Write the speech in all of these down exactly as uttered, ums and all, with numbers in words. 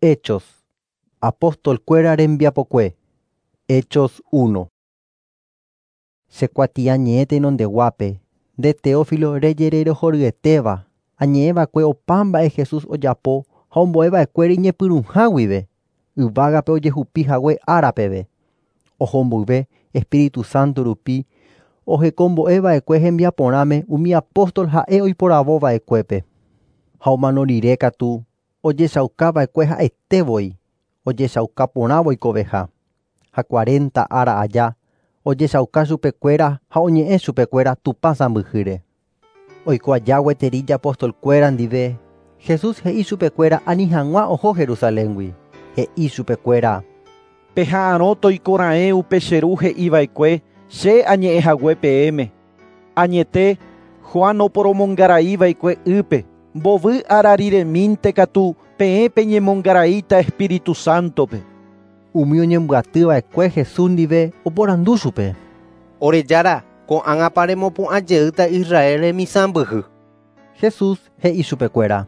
Hechos. Apóstol-kuéra rembiapokue. Hechos uno. Che kuatiañe'ẽ tenondeguápe, nde Teófilo rejererohoryetéva, añe'ẽva'ekue opa mba'e Jesús ojapo ha ombo'eva'ekuére iñepyrũha guive, yvágape ojehupi hague ára peve. Oho mboyve Espíritu Santo rupi ohekombo'eva'ekue hembiaporãme umi apóstol ha'e oiporavova'ekuépe. Ha omano rire katu ojechaukava'ekue ha'etévoi, ojechaukaporãvo oikoveha. Ha cuarenta ára aja ojechauka chupekuéra ha oñe'ẽ chupekuéra Tupã sãmbyhýre. Oiko aja gueteri apóstol-kuéra ndive, Jesús he'i chupekuéra ani hag̃ua oho Jerusaléngui. He'i chupekuéra: Peha'arõ toikora'ẽ upe che ru he'iva'ekue che añe'ẽhague peẽme. Añete Juan oporomongaraiva'ekue ýpe, mbovy ára riremínte katu peẽ peñemongaraíta Espíritu Santo-pe. Umi oñembyatyva'ekue Jesús ndive oporandu chupe: Ore Jára, ko'ág̃apa remopu'ãjeýta Israel remisãmbyhy. Jesús he'i chupekuéra: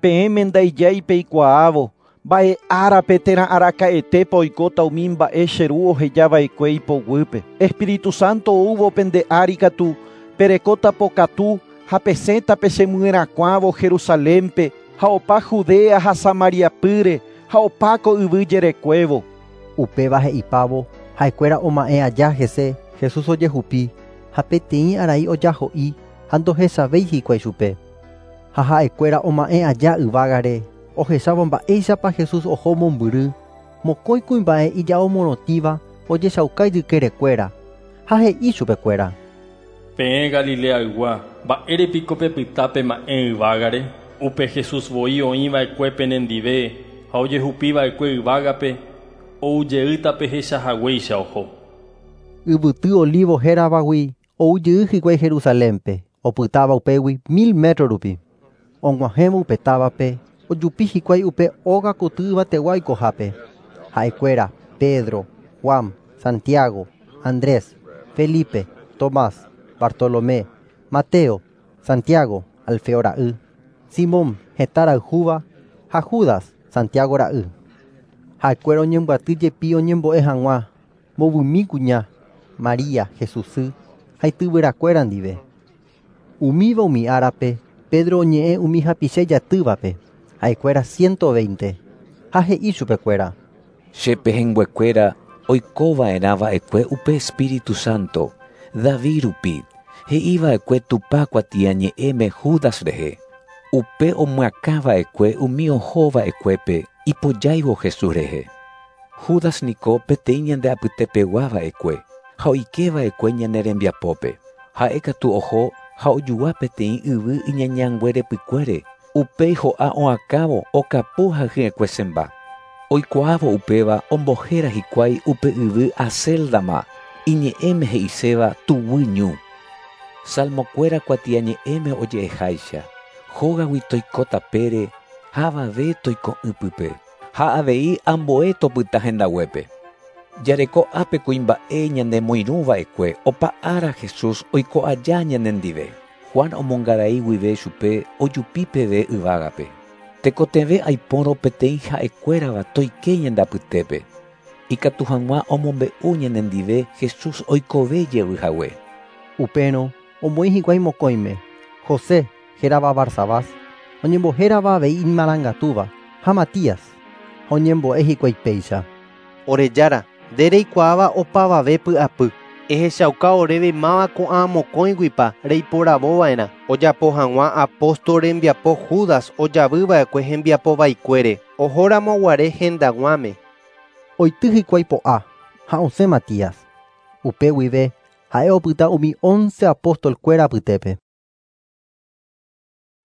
Peẽme ndaijái peikuaávo mba'e árape térã araka'etépa oikóta umi mba'e che ru ohejava'ekue ipoguýpe. Espíritu Santo oúvo pende ári katu perekóta pokatu ha pesẽta pechemyerakuãvo Jerusalénpe ha opa Judea ha Samariapýre ha opa ko yvy jerekuévo. Upéva he'ipávo ha'ekuéra oma'ẽ aja hese Jesús ojehupi ha peteĩ arai ojaho'i ha ndohechavéi hikuái chupe. Ha ha'ekuéra oma'ẽ aja yvágare ohechávo mba'éichapa Jesús oho mombyry, mokõi kuimba'e ijao morotĩva ojechauka ijykerekuéra ha he'i chupekuéra: Peẽ Galileaygua, mba'érepiko pepyta pema'ẽ yvágare? Upe Jesús voi oĩva'ekue penendive ha ojehupiva'ekue yvágape oujeýta pehechahaguéicha oho. Yvyty Olivo héravagui oujey hikuái Jerusalénpe, opytáva upégui mil metro rupi. Og̃uahẽvo upe távape ojupi hikuái upe óga koty yvategua oikohápe. Ha'ekuéra Pedro, Juan, Santiago, Andrés, Felipe, Tomás, Bartolomé, Mateo, Santiago, Alfeo ra'y, Simón hetã rayhúva ha Judas, Santiago ra'y. Ha'ekuéra oñembyaty jepi oñembo'e hag̃ua mbovymi kuña, María, Jesús sy ha ityvyrakuéra ndive. Umíva umi árape Pedro oñe'ẽ umi hapicha ijatývape, ha'ekuéra ciento veinte, ha he'i chupekuéra: Che pehẽnguekuéra oikova'erãva'ekue upe Espíritu Santo, David rupi, he'iva'ekue Tupã kuatiañe'ẽme Judas rehe, upe omyakãva'ekue umi ohova'ekuépe ipojáivo Jesús rehe. Judas niko peteĩ ñande apytepeguava'ekue ha oikeva'ekue ñane rembiapópe. Ha'e katu oho ha ojua peteĩ yvy iñañanguerepykuére, upéi ho'a oakãvo okapu ha hyekuesemba. Oikuaávo upéva ombohéra hikuái upe yvy Acéldama, iñe'ẽme he'iséva tuguy ñu. Salmokuéra kuatiañe'ẽme oje'eháicha, hógagui toiko tapére ha avave toiko'ỹpype, ha avei ambue topyta hendaguépe. Jareko ápe kuimba'e ñanemoirũva'ekue opa ára Jesús oiko aja ñanendive. Juan omongarai guive chupe ojupi peve yvágape. Tekotevẽ aipórõ peteĩ ha'ekuérava toike ñande apytépe. Ikatu hag̃ua omombe'u ñanendive Jesús oikove jey hague. Upérõ omoĩ hikuái mokõime, José hérava Barsabás, oñembohérava avei imarangatúva, ha Matías, ha oñembo'e hikuái péicha: Ore Jára, nde reikuaáva opavave py'apy. Ehechauka oréve máva ko'ã mokõiguipa reiporavova'erã ojapo hag̃ua apóstol rembiapo Judas ojavyva'ekue hembiapovaikuére ohoramoguare hendag̃uáme. Oity hikuái po'a ha osẽ Matías. Upe guive ha'e opyta umi once apóstol-kuéra apytépe.